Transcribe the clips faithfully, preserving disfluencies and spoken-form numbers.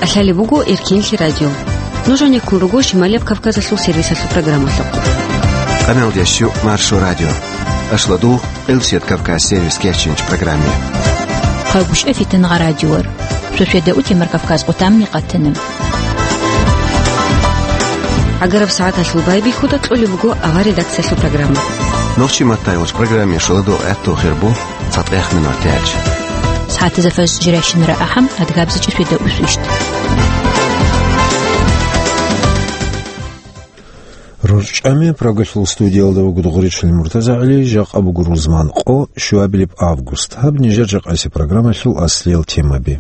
Лъалеб буго Эркенлъи радио. Нуж гьанеккун руго Шималияб Кавказалъул сервисалъул программалъухъ. Къамел ящу Маршо радио. Ашладу Элсет Кавказ сервис кечинч программе. Хъагушев Фитнагъа радиор. Шошеда утемар Кавказ къутамни къатана. Агараб сагӀаталъул байбихьуда кьолеб буго авар редакциялъул программа. Нохчи маттайвач программе шаладу гӀатту хирбу. Цадгъяхъ минутач. СагӀатазда фажр жирайщинара ахӀам, адгабзичӀеб свида усвищт. РорчӀами Прагалъул студиялда вуго Дугъричил МуртазагӀали, жакъа буго рузман къо, щуабилеб август. Гьаб нижер жакъаси программалъул аслиял темаби.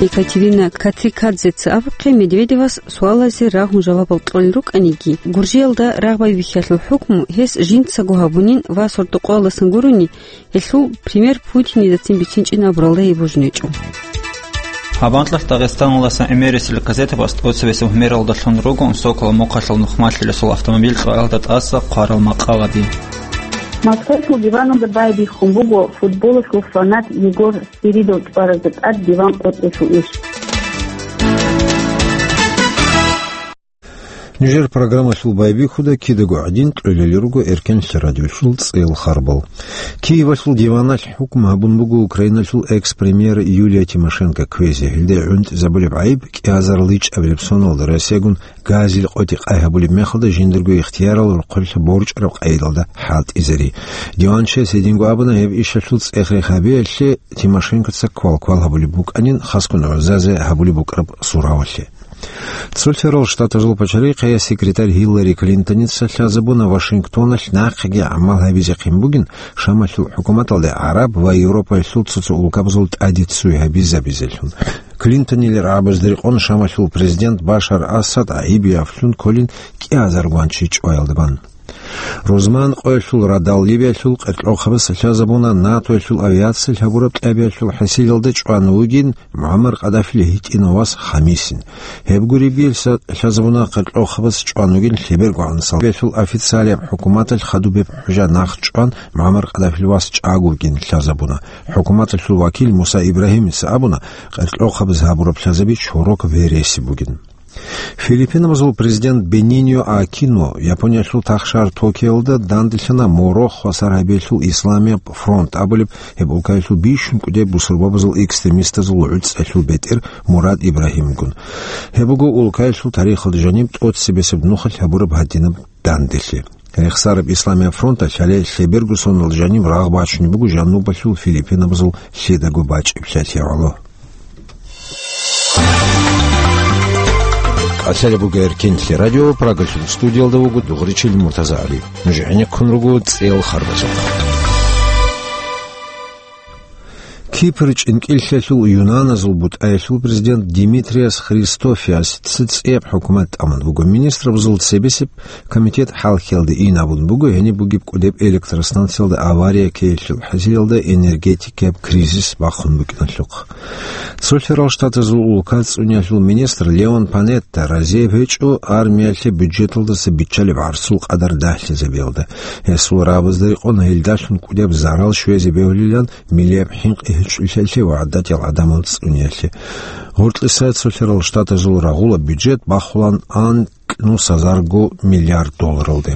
Екатерина Катрикадзеца абухъе, Медведевас суалазе рагьун жавабал кьолел рукӀаниги, Гуржиялда рагъ байбихьиялъул хӀукму гьес жинцаго гьабунин ва сордо-къоялдасан гурони, гьелъул пример Путинидацин бицинчӀин абуралда гьеб божнечӀо. Гьаб анкьалъ Дагъистаналдасан гӀемерисел газетабаз тӀоцебесеб гьумералдалъун руго Соколов мухъалъул нухмалъилесул автомобиль кьваялда тӀаса хъварал макъалаби. Москвалъул диваналда байбихьун буго футболалъул фанат Егор Спиридов чӀваразда тӀад диван къотӀелъул иш. Нижер программалъул байбихьуда кидаго гӀадин кьолел руго Эркенлъи радиолъул цӀел харбал. Киевалъул диваналъ хӀукму гьабун буго Украиналъул экс-премьер Юлия Тимошенко кквезе. Гьелде гӀунтӀизабулеб гӀайиб кӀиазариличӀабилеб соналда Россиягун газил къотӀи къай гьабулеб мехалда жиндарго ихтиярал рохъулъа борчӀараб къайдалда хӀалтӀизари. Диванчияс гьединго абуна, гьеб ишалъул цӀех-рех гьабиялъе Тимошенкоца квал-квал гьабулеб букӀанин, хасго гӀузазе гьабулеб букӀараб суравалъе. Цолъарал Штатазул пачарихъая секретарь Гьиллари Клинтоница лъазабуна Вашингтоналъ нахъеги гӀамал гьабизехъин бугин Шамалъул хӀукуматалде гӀараб ва Европаялъул цо-цо улкабазул тӀаде ццуй гьабизабизелъун. Клинтонил рагӀабазда рекъон Шамалъул президент Башар Асад гӀайиб яфлъун кколин кӀиазаргун чи чӀваялда бан. Рузман къоялъул радал Ливиялъул къеркьохъабаз лъазабуна НАТОялъул авиациялъ гьабураб кьабиялъул хӀасилалда чӀван вугин МугӀаммар Къадафил гьитӀинав вас Хамисин. Гьеб гуребги лъа-, лъазабуна къеркьохъабаз чӀван вугин лъебергогӀан Салбиялъул официалияб хӀукуматалъ хадуб гьеб хӀужа нахъ чӀван МугӀаммар Къадафил вас чӀагогин лъазабуна. ХӀукуматалъул вакил Муса Ибрагьимица абуна, къеркьохъабаз гьабураб лъазаби чорок вересиб бугин. Филиппинабазул президент Бениньо Акино Япониялъул тахшар Токиолда данделъана Моро хвасар гьабиялъул Исламияб фронт абулеб гьеб улкаялъул бищун кӀудеб бусурбабазул экстремистазул гӀуцӀалъул бетӀер Мурад Ибрагьимгун. Гьеб буго улкаялъул тарихалда жаниб тӀоцебесеб нухалъ гьабураб гьадинаб данделъи. Рехсараб Исламияб фронталъ гьале лъеберго соналда жаниб рагъ бачунеб буго жанубалъул Филиппинабазул лъидаго бачӀиблъиялъе гӀоло. Асала буго Эркенлъи радио, Прагалъул студиялда вуго Дугъричил МуртазагӀали. Нуж гӀенеккун руго цӀел харбазухъ. Кипр чӀинкӀиллъиялъул юнаназул бутӀаялъул президент Димитриас Христофиас ци-, цӀияб хӀукумат тӀамун буго. Министрабазул цебесеб комитет хӀалхьиялда ин абун буго, гьениб бугеб кӀудеб электростанциялда авария ккеялъул хӀасилалда энергетикаяб кризис бахъун букӀиналъухъ. Цолъарал Штатазул улка цӀуниялъул министр Леон Панетта разияб гьечӀо армиялъе бюджеталдаса биччалеб гӀарцул къадар дагьлъизабиялда. Гьесул рагӀабазда рекъон гьелдалъун кӀудеб зарал щвезе бегьулилан миллияб хӀинкъи гьечӀолъиялъе ва гӀадатиял гӀадамал цӀуниялъе. Гъоркьиса Цолъарал Штатазул рагъула бюджет бахулан анкьнусазарго миллиард долларалде.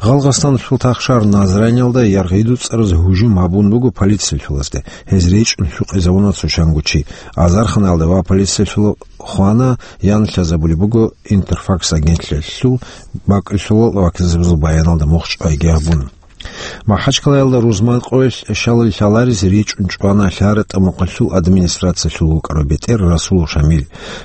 Гъалгъастаналъул тахшар Назраниялда яргъидуцӀараз гьужум гьабун буго полициялъулазде. Гьез речӀун лъукъизавуна цо чанго чи. Азарханалда ва полициялъула хвана, ян лъазабулеб буго Интерфакс агентлъиялъул бакӀалъулал вакилзабазул баяналда мухъ чӀвайги гьабун. МахӀачкъалаялда рузман къоялъ щалал лъаларез речӀун чӀвана ЛъаратӀа мухъалъул администрациялъул вукӀарав бетӀер Расулов Шамил.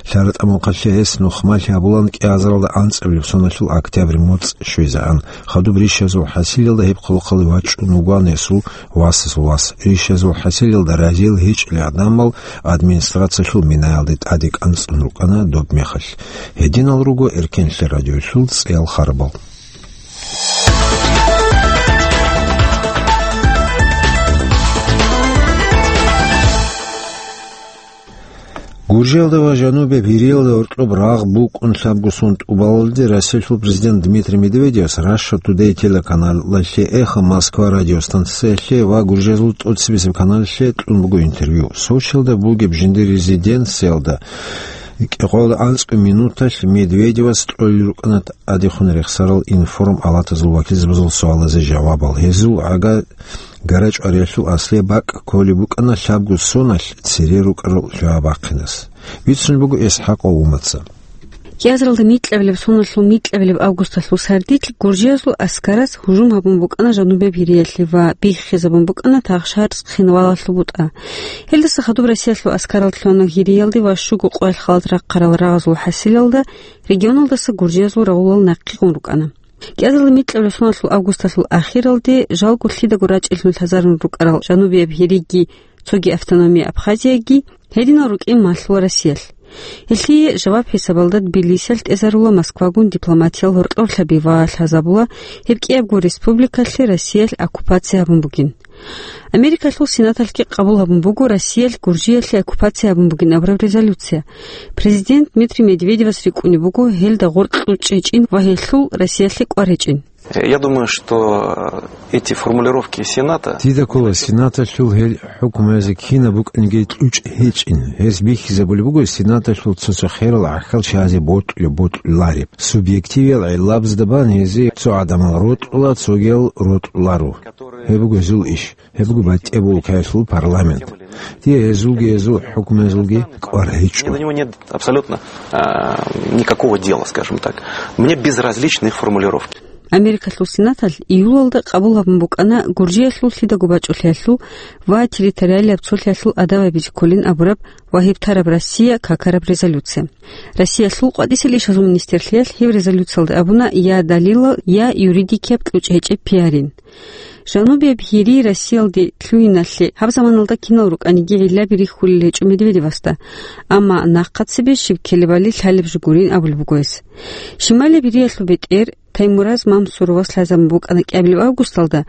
ЛъаратӀа мухъалъе гьес нухмалъи гьабулан кӀиазаралда анцӀабилеб соналъул октябрь моцӀ щвезегӀан. Хадуб рищазул хӀасилалда гьеб хъулухъалде вачӀун вугоан гьесул васасул вас. Рищазул хӀасилалда разиял гьечӀел гӀадамал администрациялъул минаялде тӀаде кӀанцӀун рукӀана доб мехалъ. Гьединал руго Эркенлъи радиолъул цӀел харбал. Гуржиялда ва Жанубияб Гьириялда гьоркьоб рагъ букӀун лъабго сон тӀубалалде Россиялъул президент Дмитрий Медведевас Russia Today телеканалалъе, Эхо Москва радиостанциялъе ва Гуржиязул тӀоцебесеб каналалъе кьун буго интервью. Сочиялда бугеб жиндир резиденциялда кӀикъоялда анцӀго минуталъ Медведевас кьолел рукӀана тӀадехун рехсарал информ-алатазул вакилзабазул суалазе жавабал. Гьезул гӀага гарачӀвариялъул аслияб бакӀ кколеб букӀана лъабго соналъ цере рукӀарал лъугьа бахъинас. Бицун буго ИсхӀакъ Умаца. Кьазралда микьабилеб соналъул микьабилеб августалъул сардилъ Гуржиялъул аскараз гьужум гьабун букӀана Жанубияб Гьириялъе ва биххизабун букӀана Тахшар хинвалалъул бутӀа. Гьелдаса хадуб Россиялъул аскарал лъугьана Гьириялде ва щуго къоялъ халат рахъарал рагъазул хӀасилалда регионалдаса гуржиязул рагъулал нахъе гъун рукӀана. Кьазралда микьабилеб соналъул августалъул ахиралде жалго лъидаго рачӀинлъун лъазарун рукӀарал Жанубияб Гьириги цоги автономия Абхазияги гьединал рукӀин малъула Россиялъ. Гьелъие жаваб хӀисабалда Тбилисиялъ тӀезарула Москвагун дипломатиял гьоркьорлъаби ва лъазабула гьеб кӀиябго республикалъе Россиялъ оккупация гьабун бугин. Америкалъул Сенаталъги къабул гьабун буго Россиялъ Гуржиялъе оккупация гьабун бугин абураб резолюция. Президент Дмитрий Медведевас рикӀкӀунеб буго гьелда гъоркь кьучӀ гьечӀин ва гьелъул Россиялъе кӀвар гьечӀин. Я думаю, что эти формулировки Сената... Дида ккола Сенаталъул гьел хӀукмуязе кинаб букӀинги кьучӀ гьечӀин. Гьез бихьизабулеб буго Сенаталъул цо-цо херал гӀахьал чиязе бокьулеб-бокьулареб. Субъективиял гӀиллабазда бан гьезие цо гӀадамал рокьула, цогиял рокьуларо. Гьеб буго гьезул иш. Гьеб буго батӀияб улкаялъул парламент. Дие гьезулги, гьезул хӀукмуязулги кӀвар гьечӀо. Мне до него нет абсолютно, а, никакого дела, скажем так. Мне безразличны их формулировки. Америкалъул Сенаталъ июлалда къабул гьабун букӀана Гуржиялъул лъидаго бачӀулъиялъул ва территориалияб цолъиялъул адаб гьабизе кколин абураб ва гьебтараб Россия какараб резолюция. Россиялъул къватӀисел ишазул министрлъиялъ гьеб резолюциялда абуна я далилал, я юридикияб кьучӀ гьечӀеб пиарин. Жанубияб Гьири Россиялде лъугьиналъе гьаб заманалда кинал рукӀаниги гӀиллаби рихьулел гьечӀо Медведевасда, амма нахъа цебе щиб ккелебали лъалеб жо гурин абулеб буго гьес. Шималияб Гьириялъул бетӀер Таймураз Мамсуровас лъазабун букӀана кӀиабилеб августалда,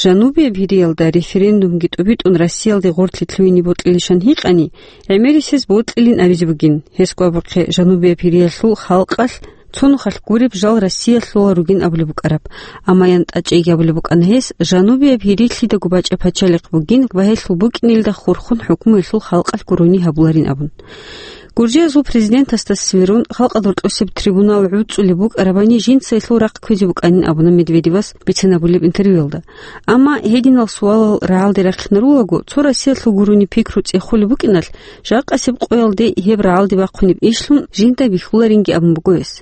Жанубияб Гьириялда референдумги тӀубитӀун Россиялде гъорлъи лъугьине бокьилищан гьикъани, гӀемерисез бокьилин абизе бугин, гьес гьабухъе Жанубияб Гьириялъул халкъалъ цо нухалъ гуреб жал Россиялъула ругин абулеб букӀараб. Амма янтӀа чӀейги абулеб букӀана гьес, Жанубияб Гьири лъидаго бачӀа пачалихъ бугин ва гьелъул букӀинелда хурхун хӀукмуялъул халкъалъ гурони гьабуларин абун. Гуржиязул президентасда сверун, халкъалда рокьосеб трибунал гӀуцӀулеб букӀарабани жинца гьелъул рахъ кквезе букӀанин абуна Медведевас бицинабулеб интервьюялда. Амма гьединал суалал рагӀалде рахъинарулаго, цо Россиялъул гурони пикру цӀехолеб букӀиналъ, жакъасеб къоялде гьеб рагӀалде бахъунеб ишлъун жинда бихьуларинги абун буго гьес.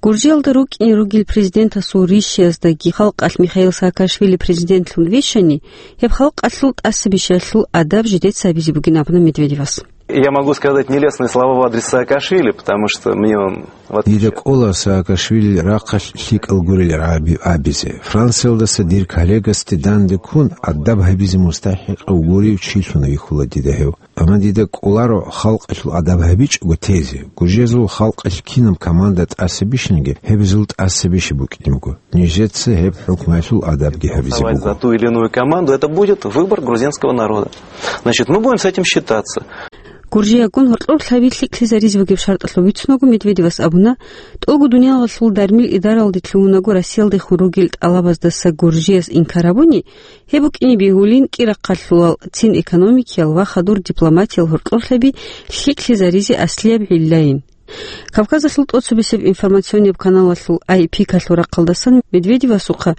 Гуржиялда рукӀине ругел президентасул ришияздаги халкъалъ Михаил Саакашвили президентлъун вищани, гьеб халкъалъул тӀасабищаялъул адаб жидеца гьабизе бугин абуна Медведевас. Я могу сказать нелестные слова в адрес Саакашвили, потому что мне он, в отличие... Дида кӀола Саакашвили рахъалъ лъикӀал гурел гӀаби-, абизе. Франциялдаса дир коллегасде данде ккун, адаб гьабизе мустахӀикъав гурев чилъун вихьула дида гьев. Амма дида кӀоларо халкъалъул адаб гьабичӀого тезе. Гуржезул халкъалъ кинаб команда тӀаса бищанги, гьеб гьезул тӀаса бищи букӀине буго. Нижеца гьеб хӀукмаялъул адабги гьабизе буго. За ту или иную команду, это будет выбор грузинского народа. Значит, мы будем с этим считаться. Гуржиягун гьоркьор лъаби лъикӀлъизаризе бугеб шартӀалъул бицунаго Медведевас абуна, тӀолго дуниялалъул дармил идаралде лъугьунаго Россиялдехун ругел тӀалабаздаса Гуржияс инкар гьабуни, гьеб букӀине бегьулин кӀирахъалъулал, цин экономикиял ва хадур дипломатиял гьоркьорлъаби лъикӀлъизаризе аслияб гӀиллайин. Кавказалъул тӀоцебесеб информационияб каналалъул Ай Пикалъул рахъалдасан Медведевасухъа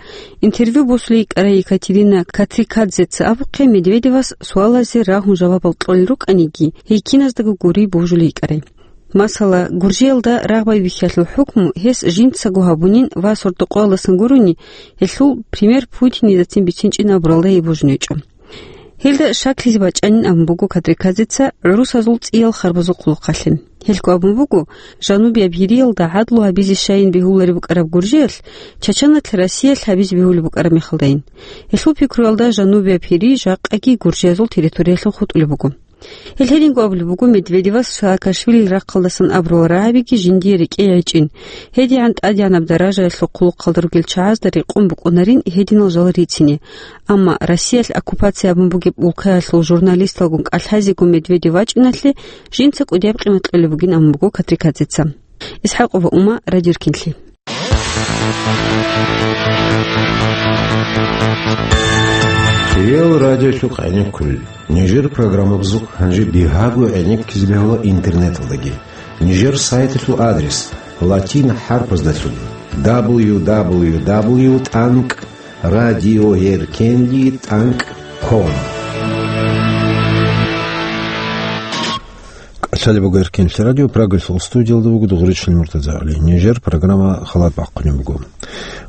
интервью босулей йикӀарай Екатерина Катрикадзеца абухъе, Медведевас суалазе рагьун жавабал кьолел рукӀаниги, гьей киназдаго гури божулей йикӀарай. Масала, Гуржиялда рагъ байбихьиялъул хӀукму гьес жинцаго гьабунин ва сордокъоялдасан гурони, гьелъул пример Путинидацин бицинчӀин абуралда гьей божун гьечӀо. Гьелда шаклъизе бачӀанин абун буго Катрикадзеца гӀурусазул цӀиял харбазухъ хъулухъалъе. Гьелъго абун буго, Жанубияб Гьириялда гӀадлу гьабизе щайин бегьулареб букӀараб Гуржиялъ, Чачаналъ Россиялъ гьабизе бегьулеб букӀараб мехалдайин. Гьелъул пикруялда Жанубияб Гьири жакъаги Гуржиязул территориялъун хутӀулеб буго. Гьел гьединго абулеб буго Медведевас Саакашвилил рахъалдасан абурал рагӀабиги жиндие рекӀее гӀечӀин. ГьедигӀан тӀадегӀанаб даражаялъул хъулухъалда ругел чагӀазда рекъон букӀунарин гьединал жал рицине. Амма Россиялъ оккупация гьабун бугеб улкаялъул журналисталгун кӀалъазего Медведев вачӀиналъе жинца кӀудияб къимат кьолеб бугин абун буго Катрикадзеца. ИсхӀакъова Ума, Радио Эркенлъи. Киял радиолъухъ гӀенеккулел. Нижер программабазухъ гьанже бигьаго гӀенеккизе бегьула интернеталдаги. Нижер сайталъул адрес латин хӀарпаздалъун: дабл ю дабл ю дабл ю тӀанкӀ радиоэркенли тӀанкӀ ком. КӀалъалеб буго Эркенлъи радио, Прагалъул студиялда вуго Дугъричил МуртазагӀли. Нижер программа халат бахъунеб буго.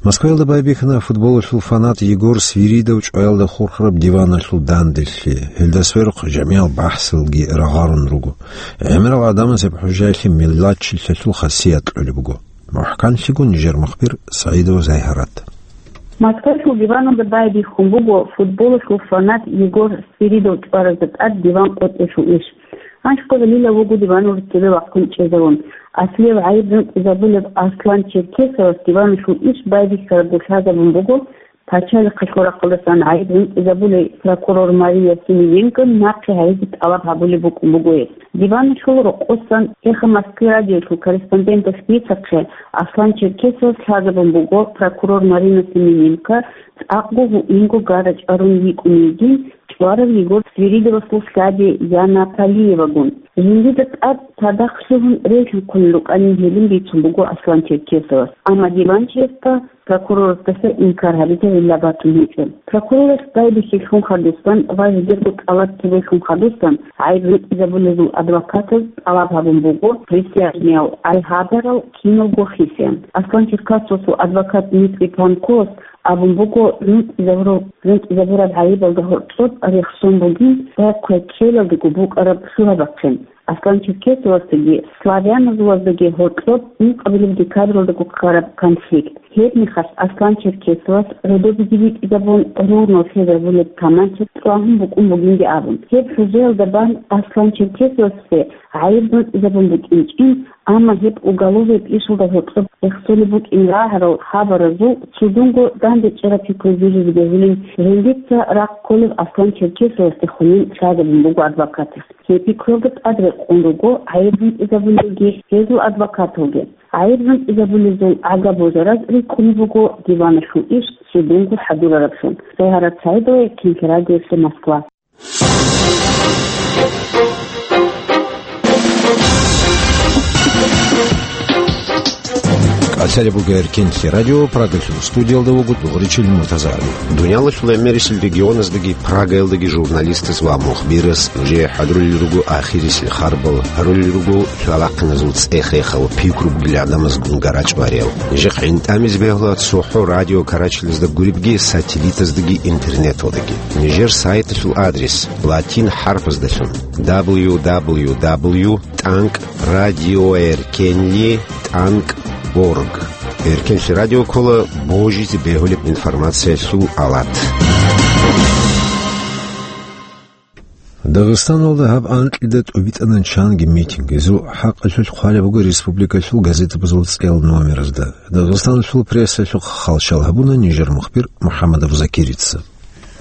Москваялда байбихьана футболалъул фанат Егор Свиридов чӀваялда хурхараб диваналъул данделъи. Гьелда сверухъ жамигӀал бахӀсалги рагъарун руго. ГӀемерал гӀадамаз гьеб хӀужаялъе меллачилъалъул хасият кьолеб буго. МухӀканлъиго нижер мухбир СагӀидова Зайгьарат. Москвалъул диваналда байбихьун буго футболалъул фанат Егор Свиридов чӀваразда тӀад диван къотӀиялъул иш. Гьанж къо гьелила вуго диванал цебе вахъун чӀезавун. Аслияб гӀайиб ритӀизабулеб Аслан Черкесовас диваналъул иш байбихьарабго лъазабун буго пачалихъалъул рахъалдасан гӀайиб ритӀизабулей прокурор Мария Семененко нахъе гьайизе тӀалаб гьабулеб букӀун буго гьес. Диваналъул рокъосан эхо Москваялъул радиолъул корреспонденталъ бицахъе, Аслан Черкесовас лъазабун буго прокурор Марина Семененко цӀакъго гьуинго гара чӀварун йикӀун йигин, чӀварав Егор Свиридовасул лъади Яна Палиевагун. Жиндида тӀад цадахъ лъугьун релъанхъулел рукӀанин гьелин бицун буго Аслан Черкесовас. Амма диванчиясда прокурорасдаса инкар гьабизе гӀилла батун гьечӀо. Прокурорас байбихьилъун хадусан ва жидерго тӀалаб кколелъун хадусан гӀайиб ритӀизабулезул адвокатаз тӀалаб гьабун буго присяжниял гӀайгьадарал киналго хисеян. Аслан Черкесовасул адвокат Дмитрий Панковас абун буго, ритӀизабураб, ритӀизабураб гӀайибалда гьоркьоб рехсон бугин, цӀакъго ккелалдего букӀараб лъугьа-бахъин. Аслан Черкесовасдаги славяназулаздаги гьоркьоб ункъабилеб декабралда гуккараб конфликт. Гьебмехалъ Аслан Черкесовас родобиги битӀизабун, рурнал лъезабулеб таманча цӀвагьун букӀун бугинги абун. Гьеб хӀужаялда бан Аслан Черкесовасде гӀайиб ритӀизабун букӀинчӀин, амма гьеб уголовияб ишалда гьоркьоб рехсолеб букӀин рагӀарал хабаразул цудунго дандечӀараб пикру жиризе бегьулин, жиндица рахъ кколеб Аслан Черкесовасдехунин лъазабун буго адвокатас. Гьеб пикруялда тӀад рекъон руго гӀайиб ритӀизабулелги гьезул адвокаталги. ГӀайиб ритӀизабулезул гӀага божараз рикӀкӀунеб буго диваналъул иш цудунго хӀадурараблъун. Зайгьарат СагӀидова, Эркенлъи радиоялъе, Москва. КӀалъалеб буго Эркенлъи радио, Прагалъул студиялда вуго Дугъричил МуртазагӀли. Дуниялалъул гӀемерисел регионаздаги Прагаялдаги журналистас ва мухбирас нужее хӀадурулел руго ахирисел харбал, гьарулел руго лъалахъиназул цӀех-рехал, пикру бугел гӀадамазгун гарачӀвариял. Нижехъ гӀинтӀамизе бегьула цохӀо радио карачилазда гуребги, сателлитаздаги интернеталдаги. Нижер сайталъул адрес латин хӀарпаздалъун: дабл ю дабл ю дабл ю тӀанкӀ радиоэркенли тӀанкӀ орг. Эркенлъи радио ккола божизе бегьулеб информациялъул алат. Дагъистаналда гьаб анкьида тӀубитӀана чанги митинг. Гьезул хӀакъалъулъ хъвалеб буго республикалъул газетабазул цӀел номеразда. Дагъистаналъул прессалъухъ хал-шал гьабуна нижер мухбир МухӀаммадов Закирица.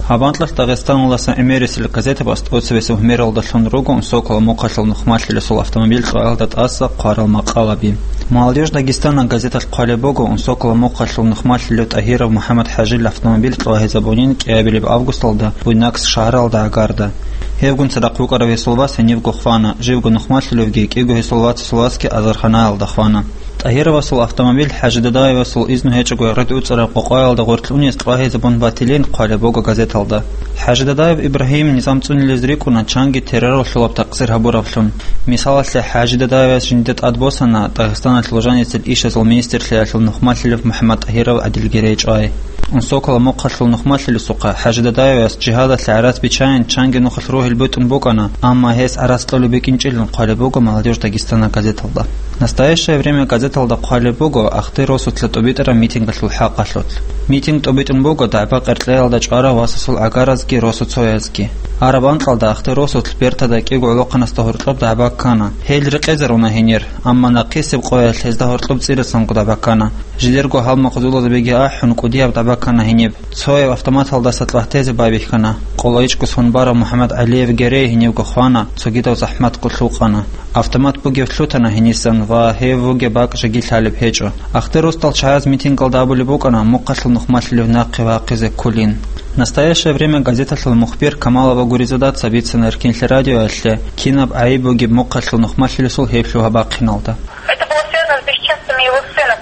Гьаб анкьалъ Дагъистаналдаса гӀемерисел газетабаз тӀоцебесеб гьумералдалъун руго Унсокола мухъалъул нухмалъилесул автомобиль чӀваялда тӀаса хъварал макъалаби. «Молодёжь Дагестана» газеталъ хъвалеб буго Унсокола мухъалъул нухмалъилев ТӀагьиров МухӀаммад-ХӀажил автомобиль чӀвагьизабунин кӀиабилеб августалда Буйнакск шагьаралда гӀагарда. Гьевгун цадахъ вукӀарав гьесул вас гьенибго хвана, живго нухмалъилевги кӀиго гьесул вацасул васги азарханаялда хвана. ТӀагьировасул автомобиль ХӀажи Дадаевасул изну гьечӀого гъоркь уцӀараб къокъаялда гъоркь унес чӀвагьизабун батилин хъвалеб буго газеталда. ХӀажи Дадаев Ибрагьим низам цӀунилез рикӀкӀуна, чанги терроралъулаб такъсир гьабураблъун. Мисалалъе, ХӀажи Дадаевас жинда тӀадбосана Дагъистаналъ лужанисел ишазул министрлъиялъул нухмалъилев МухӀаммад-ТӀагьиров ГӀадилги речӀвай. Унсокала мухъалъул нухмалъилесухъа ХӀажи Дадаевас жигьадалъе гӀарац биччайин чанги нухалъ ругьил бутӀун букӀана, амма гьес гӀарац кьолеб букӀинчӀилан хъвалеб буго «Молодёжь Дагестана» газеталда. «Настоящее время» газеталда хъвалеб буго Ахтер росулъа тӀубитӀараб митингалъул хӀакъалъулъ. Митинг тӀубитӀун буго дагӀба-къеркьеялда чӀварав васасул гӀагаразги росуцоязги. Араб анкьалда Ахтер росулъ бертада кӀиго гӀолохъанасда гьоркьоб дагӀба ккана. Гьел рекъезаруна гьенир, амма нахъисеб къоялъ гьезда гьоркьоб цӀирасан гудаб баккана. Жилерго гьалмагъзулазабиги ахӀун, кӀудияб дагӀба ккана гьениб. Цояв автоматалдаса кьвагьтезе байбихьана. КъолайчӀго сон барав МухӀаммад ГӀалиев герей гьенивго хвана, цогидав захӀматго лъукъана. Автомат бугев лъутана гьенисан ва гьев вугеб бакӀ жеги лъалеб гьечӀо. Ахтер росдал чагӀаз митингалда абулеб букӀана мухъалъул нухмалъилев нахъе вахъизе кколин. «Настоящее время» газеталъул мухбир Камалова Гуризадаца бицана Эркенлъи радиоялъе кинаб гӀайиб бугеб мухъалъул нухмалъилесул гьеб лъугьа-бахъиналда. Это было связано с бесчинствами его сына.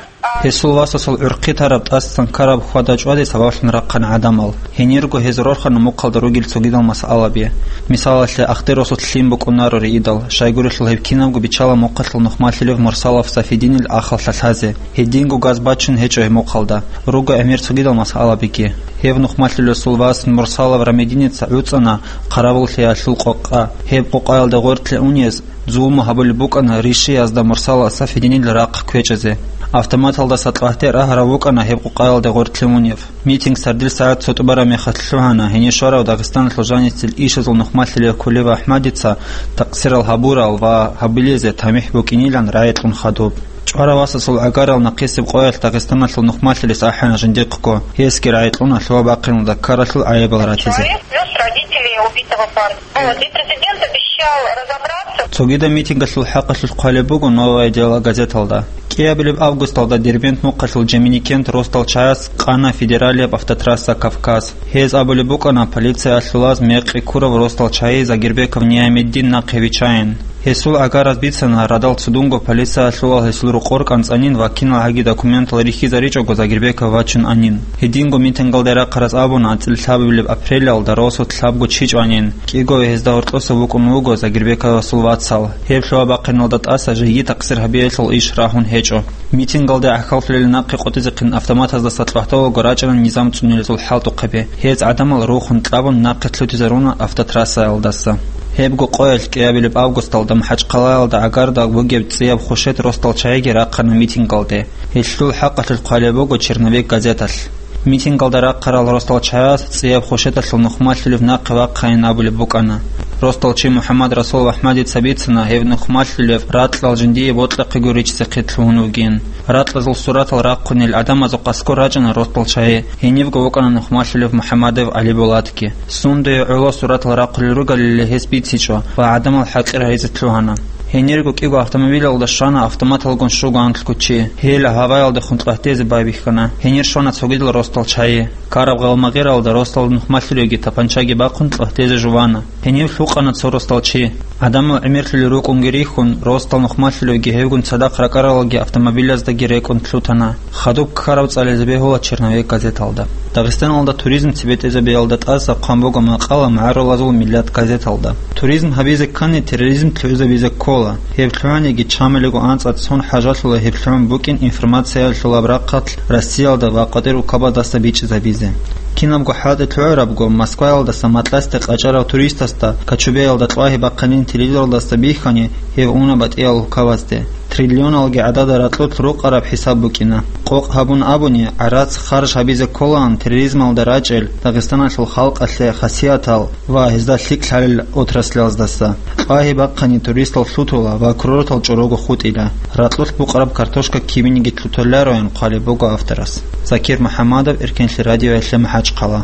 Гьесул васасул гӀурхъи тараб тӀасан ккараб хьвада-чӀваде сабаблъун рахъана гӀадамал. Гьенирго гьез рорхана мухъалда ругел цогидал масъалаби. Мисалалъе, Ахтер росулъ лъим букӀунаро риидал, щайгурелъул гьеб кинабго биччала мухъалъул нухмалъилев Мурсалов Сафидинил ахал лъалъазе. Гьединго газ бачун гьечӀо гьеб мухъалда. Руго гӀемер цогидал масъалабиги. Гьев нухмалъилесул вас Мурсалов Рамидиница гӀуцӀана хъаравуллъиялъул къокъа. Гьеб къокъаялда гъоркье унез зулму гьабулеб букӀана ришиязда Мурсала Сафидинил рахъ кквечӀезе. Автоматалдаса кьвагьте рагьарав вукӀана гьеб къокъаялде гъоркье унев. Митинг сардил сагӀат цо тӀубараб мехалъ лъугьана, гьенир щварав Дагъистаналъул жанисел ишазул нухмалъилев Кулиев АхӀмадица такъсирал гьабурал ва гьабилезе тамихӀ букӀинилан рагӀи кьун хадуб. ЧӀварав васасул гӀагарал нахъисеб къоялъ Дагъистаналъул нухмалъилес ахӀана жиндихъго, гьесги рагӀи кьуна лъугьа-бахъиналда ккаралъул гӀайибал ратизе. Человек вез родителей убитого парня. Вот, и президент обещал разобраться. Цогидаб митингалъул хӀакъалъулъ хъвалеб буго «Новое дело» газеталда. КӀиабилеб августалда Дербент мухъалъул Жеминикент росдал чагӀаз къана федералияб автотрасса «Кавказ». Гьез абулеб букӀана полициялъулаз мекъи ккурав росдал чагӀи Загирбеков Ниямиддин нахъе виччайин. Гьесул гӀагараз бицана радал цудунго полициялъулал гьесул рокъор кӀанцӀанин ва кинал гьаги документал рихьизаричӀого Загирбеков вачун анин. Гьединго митингалде рахъараз абуна анцӀила лъабабилеб апрелалда росулъ лъабго чи чӀванин, кӀиго гьезда гьоркьоса вукӀун вуго Загирбековасул вацал. Гьеб лъугьа-бахъиналда тӀаса жеги такъсир гьабиялъул иш рагьун гьечӀо. Митингалде гӀахьаллъулел нахъе къотӀизехъин автоматаздаса кьвагьталаго рачӀана низам цӀунилезул хӀалтӀухъаби. Гьез гӀадамал рухун кьабун нахъе лъутизаруна автотрассаялдаса. Гьебго къоялъ кӀиабилеб августалда МахӀачхъалаялда гӀагарда бугеб цӀияб хушет росдал чагӀиги рахъана митингалде. Гьелъул хӀакъалъулъ хъвалеб буго «Черновик» газеталъ. Митингалда рахъарал росдал чагӀаз цӀияб хушеталъул нухмалъулев нахъе вахъайин абулеб букӀана. Росдал чи МухӀаммад Расулов АхӀмадица бицана гьев нухмалъулев ракьал жиндие бокьахъего риччазе хъетлъугьун вугин. Ракьазул суратал рахъунел гӀадамазухъ аскӀор рачӀана росдал чагӀи, гьенибго вукӀана нухмалъулев МухӀаммадов ГӀалибулатги. Сундуе гӀоло суратал рахъулел ругалилан гьес бицичӀо ва гӀадамал хӀакъир гьайзе лъугьана. Гьенирго кӀиго автомобилалда щвана автоматалгун щуго анлъго чи. Гьел гьаваялдехун кьвагьтезе байбихьана. Гьенир щвана цогидал росдал чагӀи. Ккараб гъалмагъиралда росдал нухмалъулевги тапанчаги бахъун кьвагьтезе жувана. Гьенив лъукъана цо росдал чи. ГӀадамал гӀемерлъулел рукӀунги рихьун, росдал нухмалъулевги гьевгун цадахъ ракӀаралги автомобилаздаги рекӀун лъутана. Хадуб ккараб цӀализе бегьула «Черновик» газеталда. Дагъистаналда туризм цебетӀезабиялда тӀаса хъван буго макъала «МагӀарулазул миллат» газеталда. Туризм гьабизе ккани, терроризм лъугӀизабизе ккола. Гьеб лъугӀаниги чамалиго анцӀа цон хӀажалъула гьеб лъугӀун букӀин информациялъулаб рахъалъ Россиялда ва къватӀир улкабаздаса бичӀчӀизабизе. Кинабго хӀалтӀи лъугӀарабго, Москваялдаса Матласде къачӀарав туристасда Кочубеялда кьвагьи бахъанин телевизоралдаса бихьани, гьев уна батӀиял улкабазде. Триллионалги гӀадада ракьулъ рукъараб хӀисаб букӀина. Къокъ гьабун абуни, гӀарац харж гьабизе кколаан терроризмалда рачӀел, Дагъистаналъул халкъалъе хасиятал ва гьезда лъикӀ лъалел отраслаздаса. Кьвагьи бахъани туристал лъутула ва курортал чӀорого хутӀила. Ракьулъ букъараб картошка кибиниги лъуталароян хъвалеб буго авторас. Закир МухӀаммадов, Эркенлъи радиоялъе, МахӀачхъала.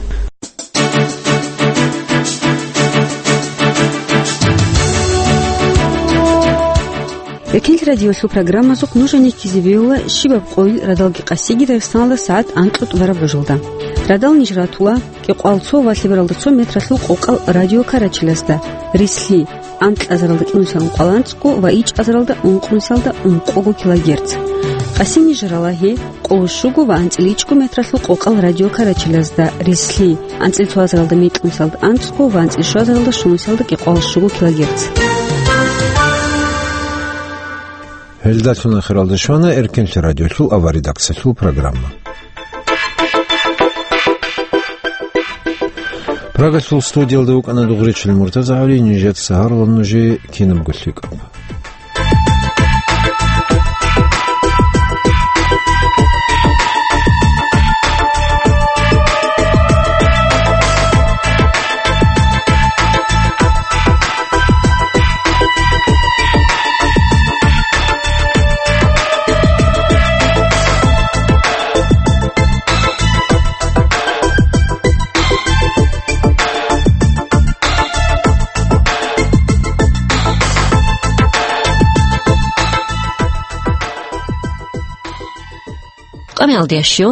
Эркенлъи радиолъул программазухъ нуж гьанир ккезе бегьула щибаб къойил радалги къасиги Дагъистаналда сагӀат анкьго тӀубараб гӀужалда. Радал ниж ратула кӀикъоялда цо ва лъебералда цо метралъул къокъал радиокарачелазда, рислъи, анкьазаралда кӀинусиялда ункъоялда анцӀго ва ичӀазаралда ункънусиялда ункъого килогерц. Къаси ниж рала гьеб къоло щуго ва анцӀила ичӀго метралъул къокъал радиокарачелазда, рислъи, анцӀила цоазаралда мекьнусиялда анцӀго ва анцӀила щуазаралда щунусиялда кӀикъоялда щуго килогерц. Гьелдалъун ахиралда щвана Эркенлъи радиолъул аваридакцалъул программа. Прагалъул студиялда вукӀана Дугъричил Муртазагьали, нижеца гьарулеб нужее кинабго лъикӀаб. Къамиялдиящив,